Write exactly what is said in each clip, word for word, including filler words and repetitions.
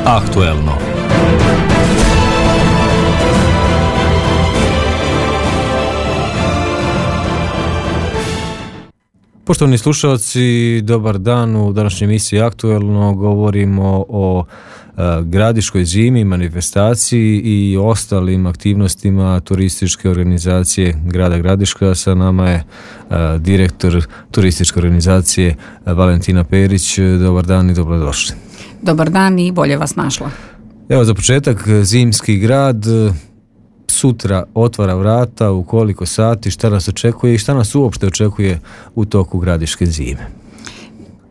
Aktuelno. Poštovani slušalci, dobar dan. U današnjoj emisiji Aktuelno govorimo o e, Gradiškoj zimi, manifestaciji i ostalim aktivnostima turističke organizacije grada Gradiška. Sa nama je e, direktor turističke organizacije e, Valentina Perić. Dobar dan i dobrodošli. Dobar dan i bolje vas našla. Evo, za početak, zimski grad sutra otvara vrata, u koliko sati, šta nas očekuje i šta nas uopšte očekuje u toku Gradiške zime?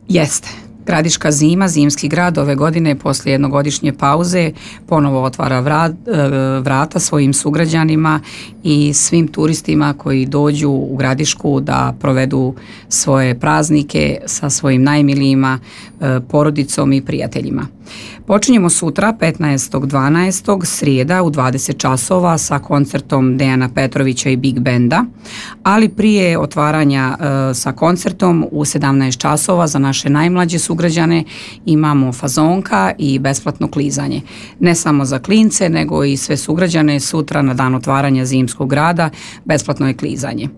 Jeste. Gradiška zima, zimski grad ove godine poslije jednogodišnje pauze ponovo otvara vrat, vrata svojim sugrađanima i svim turistima koji dođu u Gradišku da provedu svoje praznike sa svojim najmilijima, porodicom i prijateljima. Počinjemo sutra petnaestog dvanaestog srijeda u dvadeset časova sa koncertom Dejana Petrovića i Big Benda, ali prije otvaranja e, sa koncertom u sedamnaest časova za naše najmlađe sugrađane imamo fazonka i besplatno klizanje. Ne samo za klince, nego i sve sugrađane sutra na dan otvaranja zimskog grada besplatno je klizanje.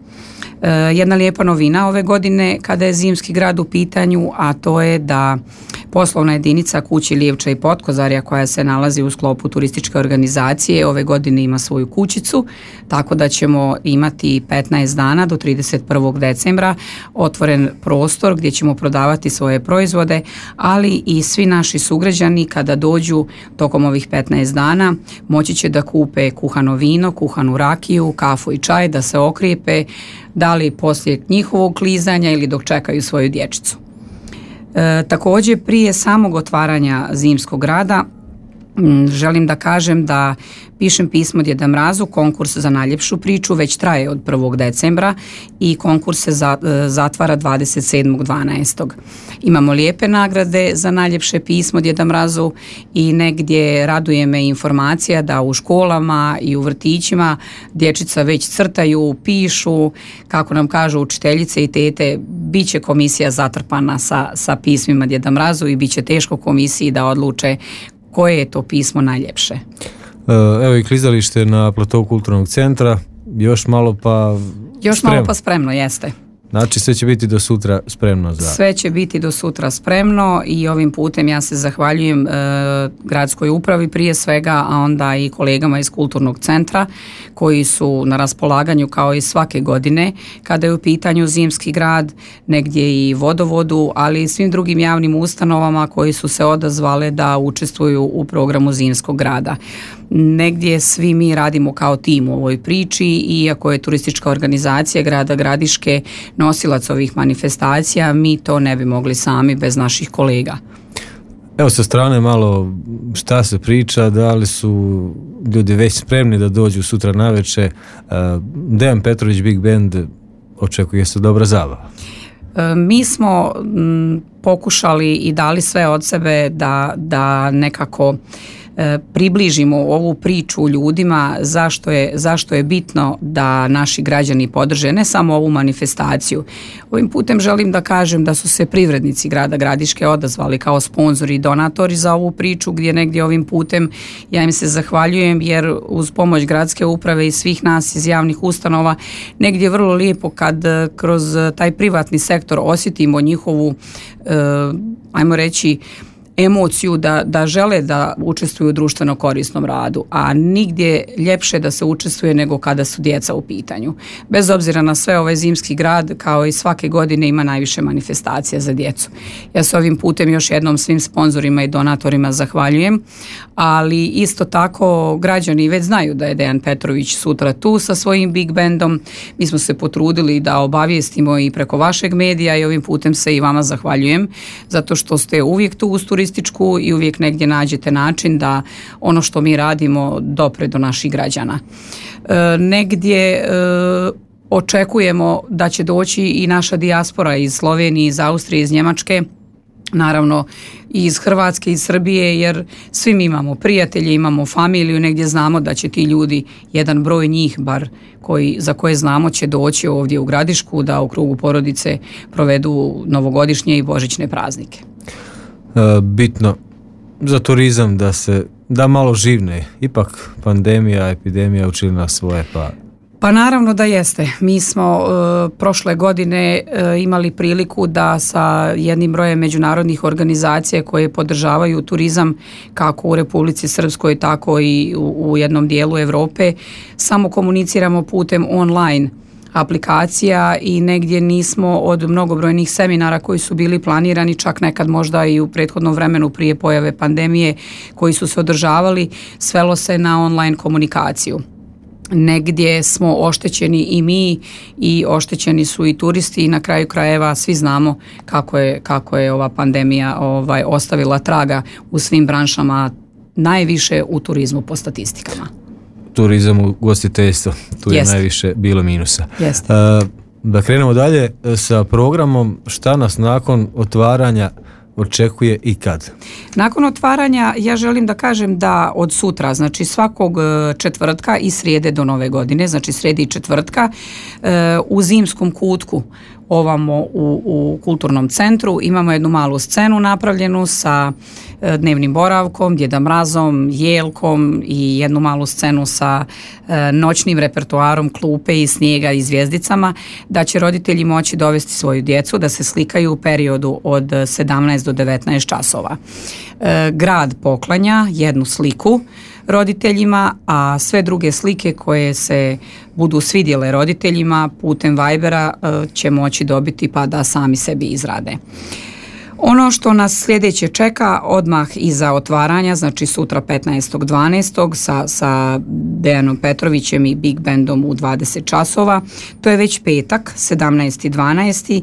E, jedna lijepa novina ove godine kada je zimski grad u pitanju, a to je da poslovna jedinica Kući Lijevča i Potkozarja koja se nalazi u sklopu turističke organizacije ove godine ima svoju kućicu, tako da ćemo imati petnaest dana do trideset prvog decembra otvoren prostor gdje ćemo prodavati svoje proizvode, ali i svi naši sugrađani kada dođu tokom ovih petnaest dana moći će da kupe kuhano vino, kuhanu rakiju, kafu i čaj, da se okrijepe, da li poslije njihovog klizanja ili dok čekaju svoju dječicu. E, također prije samog otvaranja zimskog grada m, želim da kažem da Pišem pismo Djeda Mrazu, konkurs za najljepšu priču već traje od prvog decembra i konkurs se za, e, zatvara dvadeset sedmog dvanaestog Imamo lijepe nagrade za najljepše pismo Djeda Mrazu i negdje raduje me informacija da u školama i u vrtićima dječica već crtaju, pišu, kako nam kažu učiteljice i tete, bit će komisija zatrpana sa, sa pismima Djeda Mrazu i bit će teško komisiji da odluče koje je to pismo najljepše. Evo i klizalište na platovu kulturnog centra, još malo pa Još spremno. malo pa spremno, jeste. Znači sve će biti do sutra spremno za... Sve će biti do sutra spremno i ovim putem ja se zahvaljujem e, gradskoj upravi prije svega, a onda i kolegama iz kulturnog centra koji su na raspolaganju kao i svake godine kada je u pitanju zimski grad, negdje i vodovodu, ali i svim drugim javnim ustanovama koji su se odazvale da učestvuju u programu zimskog grada. Negdje svi mi radimo kao tim u ovoj priči, iako je turistička organizacija grada Gradiške nosilac ovih manifestacija, mi to ne bi mogli sami bez naših kolega. Evo sa strane malo šta se priča, da li su ljudi već spremni da dođu sutra navečer. Dejan Petrović Big Band, očekuje se dobra zabava. Mi smo m, pokušali i dali sve od sebe da, da nekako približimo ovu priču ljudima zašto je, zašto je bitno da naši građani podrže ne samo ovu manifestaciju. Ovim putem želim da kažem da su se privrednici grada Gradiške odazvali kao sponzori i donatori za ovu priču, gdje negdje ovim putem ja im se zahvaljujem, jer uz pomoć gradske uprave i svih nas iz javnih ustanova negdje je vrlo lijepo kad kroz taj privatni sektor osjetimo njihovu, eh, ajmo reći, emociju da, da žele da učestvuju u društveno korisnom radu, a nigdje ljepše da se učestvuje nego kada su djeca u pitanju. Bez obzira na sve, ovaj zimski grad kao i svake godine ima najviše manifestacija za djecu. Ja se ovim putem još jednom svim sponzorima i donatorima zahvaljujem, ali isto tako građani već znaju da je Dejan Petrović sutra tu sa svojim Big Bandom. Mi smo se potrudili da obavijestimo i preko vašeg medija i ovim putem se i vama zahvaljujem, zato što ste uvijek tu uz turističku i uvijek negdje nađete način da ono što mi radimo dopre do naših građana. E, negdje e, očekujemo da će doći i naša dijaspora iz Slovenije, iz Austrije, iz Njemačke, naravno i iz Hrvatske, iz Srbije, jer svi mi imamo prijatelje, imamo familiju, negdje znamo da će ti ljudi, jedan broj njih bar koji, za koje znamo, će doći ovdje u Gradišku da u krugu porodice provedu novogodišnje i božićne praznike. E, bitno za turizam da se da malo živne? Ipak pandemija, epidemija učili nas svoje, pa... Pa naravno da jeste. Mi smo e, prošle godine e, imali priliku da sa jednim brojem međunarodnih organizacija koje podržavaju turizam kako u Republici Srpskoj, tako i u, u jednom dijelu Europe, samo komuniciramo putem online aplikacija i negdje nismo od mnogobrojnih seminara koji su bili planirani, čak nekad možda i u prethodnom vremenu prije pojave pandemije koji su se održavali, svelo se na online komunikaciju. Negdje smo oštećeni i mi i oštećeni su i turisti i na kraju krajeva svi znamo kako je, kako je ova pandemija ovaj, ostavila traga u svim branšama, najviše u turizmu po statistikama. Turizam, u ugostiteljstvo, tu je Jest. najviše bilo minusa. Jeste. Uh, da krenemo dalje sa programom, šta nas nakon otvaranja očekuje i kad? Nakon otvaranja ja želim da kažem da od sutra, znači svakog četvrtka i srijede do nove godine, znači srijede i četvrtka, u zimskom kutku ovamo u, u kulturnom centru imamo jednu malu scenu napravljenu sa dnevnim boravkom, Djeda Mrazom, jelkom i jednu malu scenu sa noćnim repertoarom klupe i snijega i zvijezdicama, da će roditelji moći dovesti svoju djecu da se slikaju u periodu od sedamnaest do devetnaest časova. Grad poklanja jednu sliku roditeljima, a sve druge slike koje se budu svidjele roditeljima putem Vibera će moći dobiti pa da sami sebi izrade. Ono što nas sljedeće čeka odmah iza otvaranja, znači sutra petnaestog dvanaestog sa, sa Dejanom Petrovićem i Big Bandom u dvadeset časova, to je već petak, sedamnaesti dvanaesti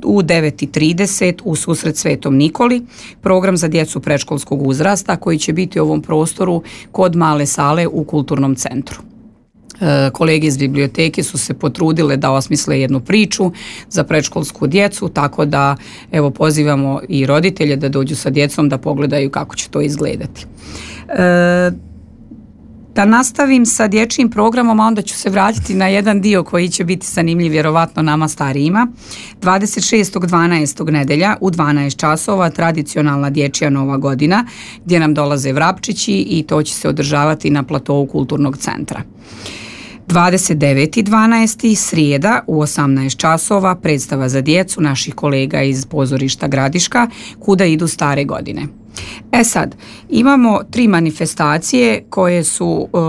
u devet i trideset u susret Svetom Nikoli, program za djecu predškolskog uzrasta koji će biti u ovom prostoru kod male sale u kulturnom centru. Kolege iz biblioteke su se potrudile da osmisle jednu priču za predškolsku djecu, tako da evo pozivamo i roditelje da dođu sa djecom da pogledaju kako će to izgledati. E, da nastavim sa dječjim programom, a onda ću se vratiti na jedan dio koji će biti zanimljiv vjerovatno nama starijima. dvadeset šestog dvanaestog nedelja u dvanaest časova tradicionalna dječja Nova godina gdje nam dolaze vrapčići i to će se održavati na platovu kulturnog centra. dvadeset deveti dvanaesti srijeda u osamnaest časova predstava za djecu naših kolega iz pozorišta Gradiška Kuda idu stare godine. E sad, imamo tri manifestacije koje su uh,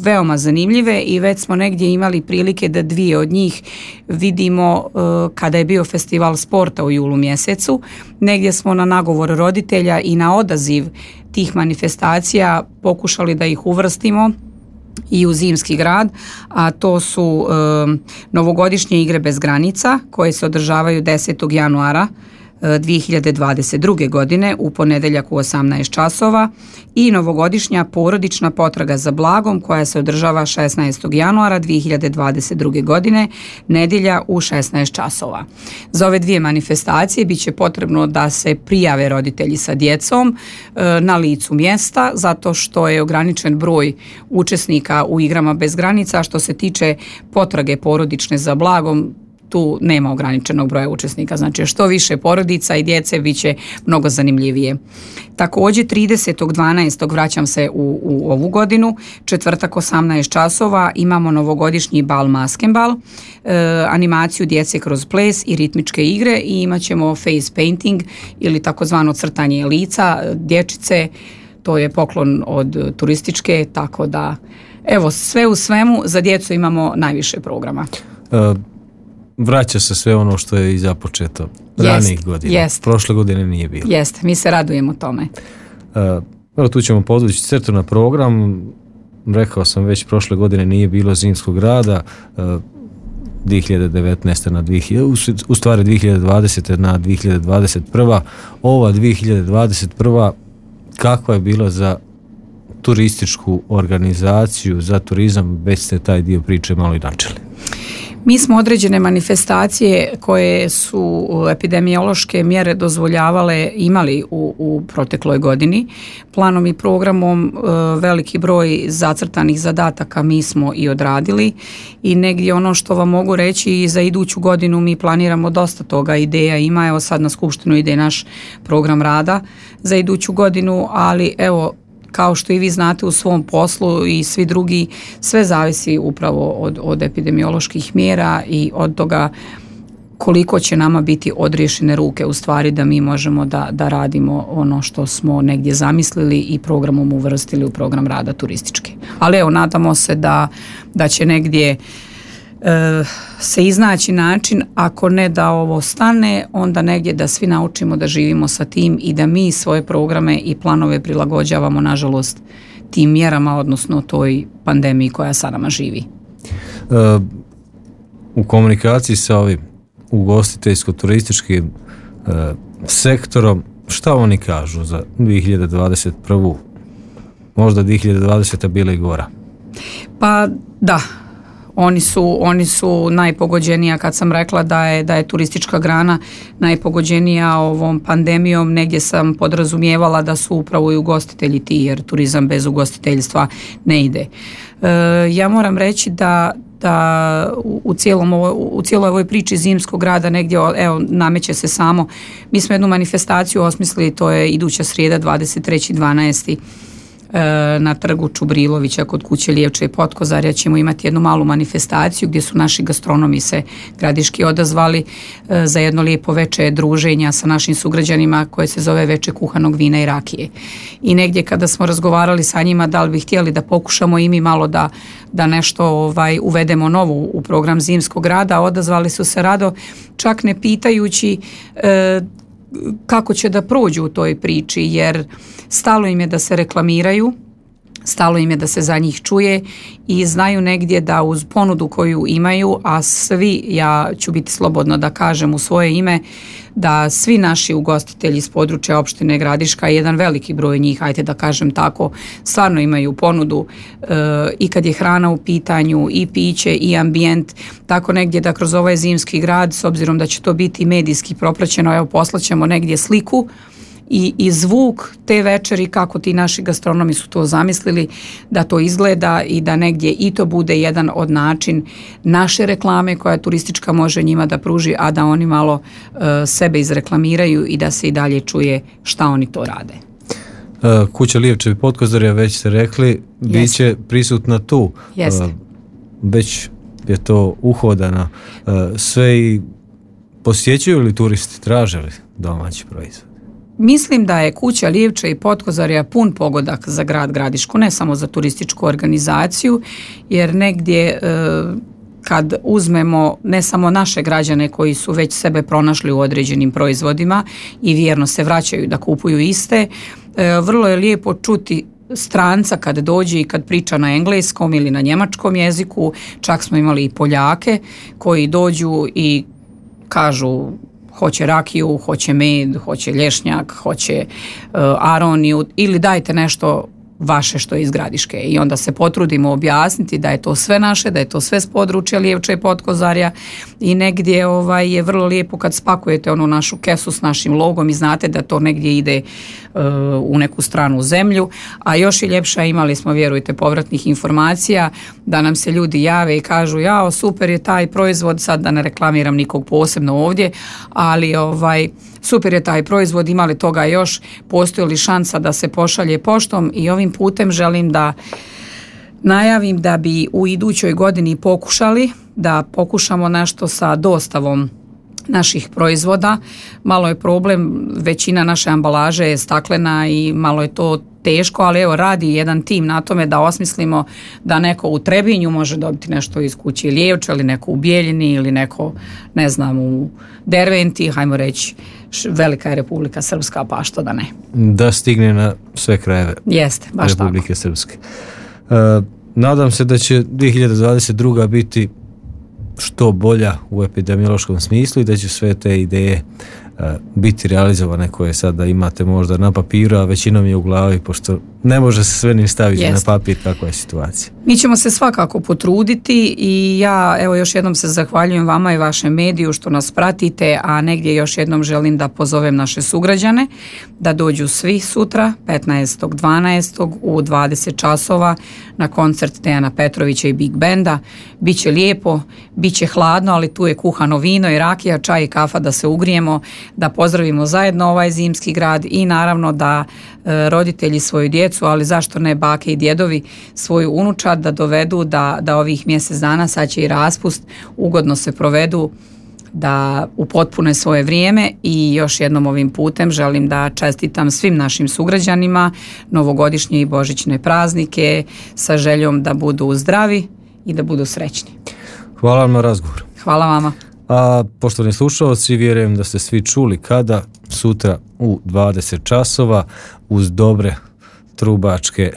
veoma zanimljive i već smo negdje imali prilike da dvije od njih vidimo uh, kada je bio festival sporta u julu mjesecu. Negdje smo na nagovor roditelja i na odaziv tih manifestacija pokušali da ih uvrstimo i u zimski grad, a to su e, novogodišnje igre bez granica koje se održavaju desetog januara dvije hiljade dvadeset druge. godine u ponedjeljak u osamnaest časova i novogodišnja porodična potraga za blagom koja se održava šesnaestog januara dvije hiljade dvadeset druge. godine, nedjelja u šesnaest časova. Za ove dvije manifestacije bit će potrebno da se prijave roditelji sa djecom e, na licu mjesta, zato što je ograničen broj učesnika u igrama bez granica. Što se tiče potrage porodične za blagom, tu nema ograničenog broja učesnika, znači što više porodica i djece bit će mnogo zanimljivije. Također tridesetog dvanaestog vraćam se u, u ovu godinu, četvrtak osamnaest časova imamo novogodišnji bal Maskenbal, e, animaciju djece kroz ples i ritmičke igre i imat ćemo face painting ili takozvano crtanje lica dječice, to je poklon od turističke, tako da evo sve u svemu za djecu imamo najviše programa. Uh. Vraća se sve ono što je i započeto ranijih godina. Jest. Prošle godine nije bilo. Jeste, mi se radujemo tome. Evo tu ćemo podvući crtu na program. Rekao sam već, prošle godine nije bilo zimskog rada. dvije hiljade devetnaeste na dvije hiljade, u stvari dvije hiljade dvadesete na dvije hiljade dvadeset prva. Ova dvije hiljade dvadeset prva kakva je bila za turističku organizaciju, za turizam, već ste taj dio priče malo i načeli. Mi smo određene manifestacije koje su epidemiološke mjere dozvoljavale imali u, u protekloj godini. Planom i programom e, veliki broj zacrtanih zadataka mi smo i odradili i negdje ono što vam mogu reći i za iduću godinu mi planiramo dosta toga, ideja ima, evo sad na skupštinu ide naš program rada za iduću godinu, ali evo kao što i vi znate u svom poslu i svi drugi, sve zavisi upravo od, od epidemioloških mjera i od toga koliko će nama biti odriješene ruke u stvari da mi možemo da, da radimo ono što smo negdje zamislili i programom uvrstili u program rada turističke. Ali evo, nadamo se da, da će negdje se iznaći način, ako ne da ovo stane, onda negdje da svi naučimo da živimo sa tim i da mi svoje programe i planove prilagođavamo, nažalost, tim mjerama, odnosno toj pandemiji koja sa nama živi. Uh, u komunikaciji sa ovim ugostiteljsko-turističkim uh, sektorom, šta oni kažu za dvije hiljade dvadeset prvu? Možda dvije hiljade dvadeseta bila i gora. Pa da, Oni su, oni su najpogođenija, kad sam rekla da je, da je turistička grana najpogođenija ovom pandemijom, negdje sam podrazumijevala da su upravo i ugostitelji ti, jer turizam bez ugostiteljstva ne ide. E, ja moram reći da da u cijelom ovo, u cijeloj ovoj priči zimskog rada negdje, evo, nameće se samo, mi smo jednu manifestaciju osmislili, to je iduća srijeda dvadeset treći dvanaesti na trgu Čubrilovića kod kuće Lijevče i Potkozarja ćemo imati jednu malu manifestaciju gdje su naši gastronomi se gradiški odazvali za jedno lijepo veče druženja sa našim sugrađanima koje se zove veče kuhanog vina i rakije. I negdje kada smo razgovarali sa njima da li bi htjeli da pokušamo i mi malo da, da nešto ovaj, uvedemo novo u program zimskog rada, odazvali su se rado, čak ne pitajući e, kako će da prođu u toj priči, jer stalo im je da se reklamiraju, stalo im je da se za njih čuje i znaju negdje da uz ponudu koju imaju, a svi, ja ću biti slobodno da kažem u svoje ime, da svi naši ugostitelji iz područja opštine Gradiška, jedan veliki broj njih, ajde da kažem tako, stvarno imaju ponudu e, i kad je hrana u pitanju, i piće, i ambijent, tako negdje da kroz ovaj zimski grad, s obzirom da će to biti medijski propraćeno, evo poslaćemo negdje sliku i, i zvuk te večeri, kako ti naši gastronomi su to zamislili da to izgleda i da negdje i to bude jedan od način naše reklame koja turistička može njima da pruži, a da oni malo uh, sebe izreklamiraju i da se i dalje čuje šta oni to rade. Uh, kuća Lijevče i Potkozarja, već ste rekli, bit će prisutna tu. Jeste. Uh, već je to uhodana. Uh, sve i posjećuju li turisti, traže li domaći proizvod? Mislim da je kuća Lijevče i Potkozarja pun pogodak za grad Gradišku, ne samo za turističku organizaciju, jer negdje e, kad uzmemo ne samo naše građane koji su već sebe pronašli u određenim proizvodima i vjerno se vraćaju da kupuju iste, e, vrlo je lijepo čuti stranca kad dođe i kad priča na engleskom ili na njemačkom jeziku, čak smo imali i Poljake koji dođu i kažu hoće rakiju, hoće med, hoće lješnjak, hoće uh, aroniju ili dajte nešto vaše što je iz Gradiške. I onda se potrudimo objasniti da je to sve naše, da je to sve s područja Lijevče i Potkozarja i negdje ovaj, je vrlo lijepo kad spakujete onu našu kesu s našim logom i znate da to negdje ide uh, u neku stranu zemlju, a još i ljepša, imali smo, vjerujte, povratnih informacija da nam se ljudi jave i kažu jao, super je taj proizvod, sad da ne reklamiram nikog posebno ovdje, ali ovaj super je taj proizvod, ima li toga još, postoji li šansa da se pošalje poštom i ovim putem želim da najavim da bi u idućoj godini pokušali, da pokušamo nešto sa dostavom naših proizvoda. Malo je problem, većina naše ambalaže je staklena i malo je to teško, ali evo radi jedan tim na tome da osmislimo da neko u Trebinju može dobiti nešto iz kuće Lijevče ili neko u Bijeljini ili neko, ne znam, u Derventi, hajmo reći, velika je Republika Srpska, pa što da ne. Da stigne na sve krajeve. Jeste, baš Republike tako. Srpske. Uh, nadam se da će dvije hiljade dvadeset druga biti što bolja u epidemiološkom smislu i da će sve te ideje biti realizovane, koje sada imate možda na papiru, a većinom je u glavi, pošto ne može se sve ni staviti Jest. na papir kakva je situacija. Mi ćemo se svakako potruditi i ja evo još jednom se zahvaljujem vama i vašem mediju što nas pratite, a negdje još jednom želim da pozovem naše sugrađane da dođu svi sutra petnaestog dvanaestog u dvadeset časova na koncert Dejana Petrovića i Big Benda. Biće lijepo, biće hladno, ali tu je kuhano vino i rakija, čaj i kafa da se ugrijemo, da pozdravimo zajedno ovaj zimski grad i naravno da e, roditelji svoju djecu, ali zašto ne bake i djedovi, svoju unučad da dovedu da, da ovih mjesec dana, sad će i raspust, ugodno se provedu, da upotpune svoje vrijeme. I još jednom ovim putem želim da čestitam svim našim sugrađanima novogodišnje i božićne praznike sa željom da budu zdravi i da budu srećni. Hvala vam na razgovor. Hvala vama. A poštovani slušalci, vjerujem da ste svi čuli kada, sutra u dvadeset časova, uz dobre trubačke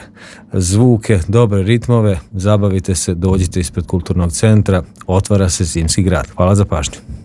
zvuke, dobre ritmove, zabavite se, dođite ispred kulturnog centra, otvara se zimski grad. Hvala za pažnju.